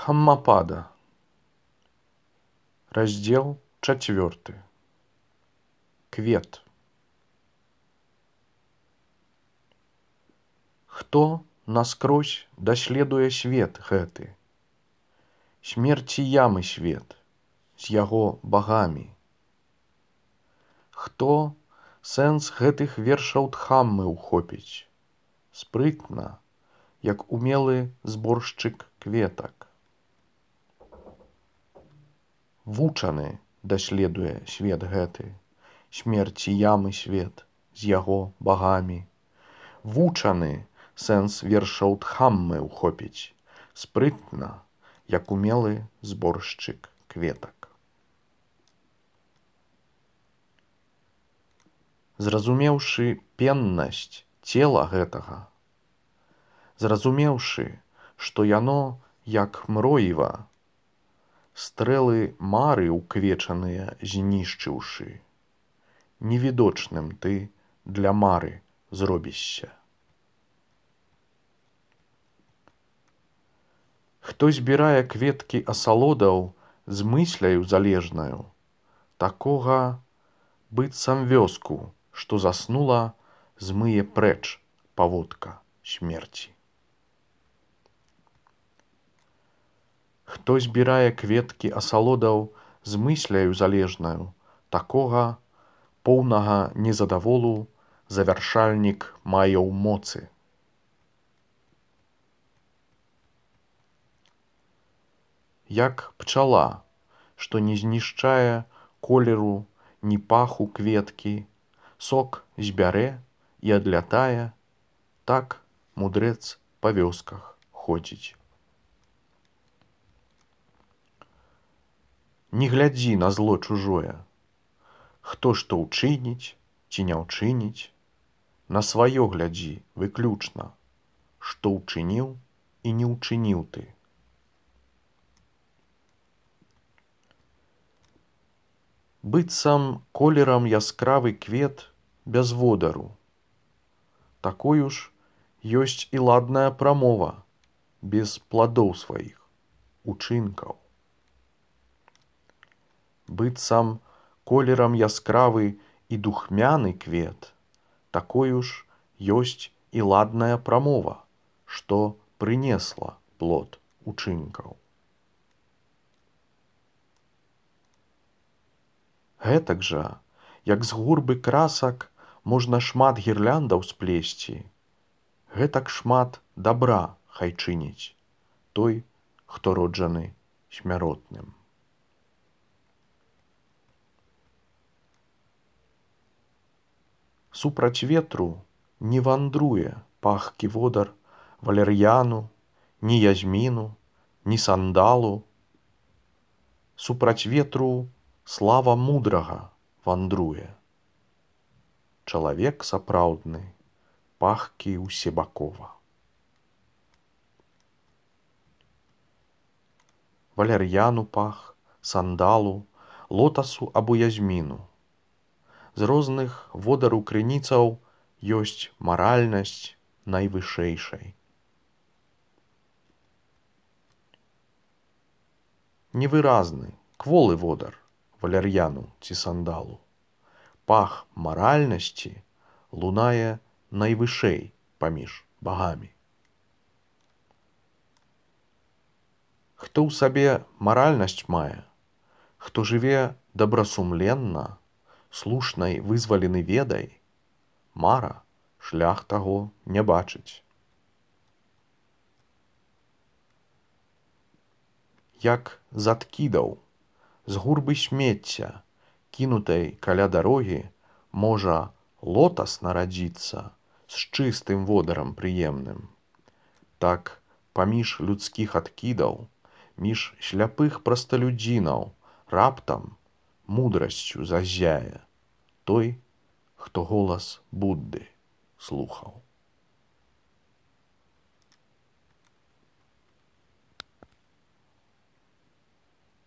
Хаммапада. Раздел 4. Квет. Хто наскрозь даследуе свет гэты, смерці ямы свет з яго багамі. Хто сэнс гэтых вершаў Дхаммы ухопіць, спрытна, як умелы зборшчык кветак. Вучаны даследуе свет гэты, смерці ямы свет з яго багамі. Вучаны сэнс вершаў Дхаммы ухопіць, спрытна, як умелы зборшчык кветак. Зразумеўшы пеннасць цела гэтага, зразумеўшы, што яно, як мроіва, стрэлы мары ўквечаныя знішчыўшы, невідочным ты для мары зробішся. Хто збірае кветкі асалодаў з мысляю залежнаю, такога быццам вёску, што заснула, змые прэч паводка смерці. Хто збірае кветкі асалодаў з мысляю залежнаю, такога поўнага незадаволу завяршальнік мае ў моцы. Як пчала, што не знішчае колеру ні паху кветкі, сок збярэ і адлятае, так мудрэц па вёсках ходзіць. Не глядзі на зло чужое, хто што ўчыніць ці не ўчыніць, на сваё глядзі выключна, што ўчыніў і не ўчыніў ты. Быццам колерам яскравы квет без водару, такою ж ёсць і ладная прамова без пладоў сваіх, учынкаў. Быццам колерам яскравы і духмяны квет, такою ж ёсць і ладная прамова, што прынесла плод учынкаў. Гэтак жа, як з гурбы красак можна шмат гірляндаў сплесці, гэтак шмат дабра хай чыніць той, хто роджаны смяротным. Супраць ветру не вандруе пахкі водар валер'яну, ні язміну, ні сандалу. Супраць ветру слава мудрага вандруе. Чалавек сапраўдны пахкі усебакова. Валер'яну пах, сандалу, лотасу або язміну. З розных водару крыніцаў ёсць маральнасць найвышэйшай. Невыразны, кволы водар валер'яну ці сандалу. Пах маральнасці лунае найвышэй паміж багамі. Хто ў сабе маральнасць мае, хто жыве добрасумленна, слушнай вызвалены ведай, мара шлях таго не бачыць. Як з адкідаў, з гурбы смецця, кінутай каля дарогі, можа лотас нарадзіцца з чыстым водарам прыемным. Так паміж людскіх адкідаў, між сляпых прасталюдзінаў раптам мудрасцю заззяе той, хто голас Будды слухаў.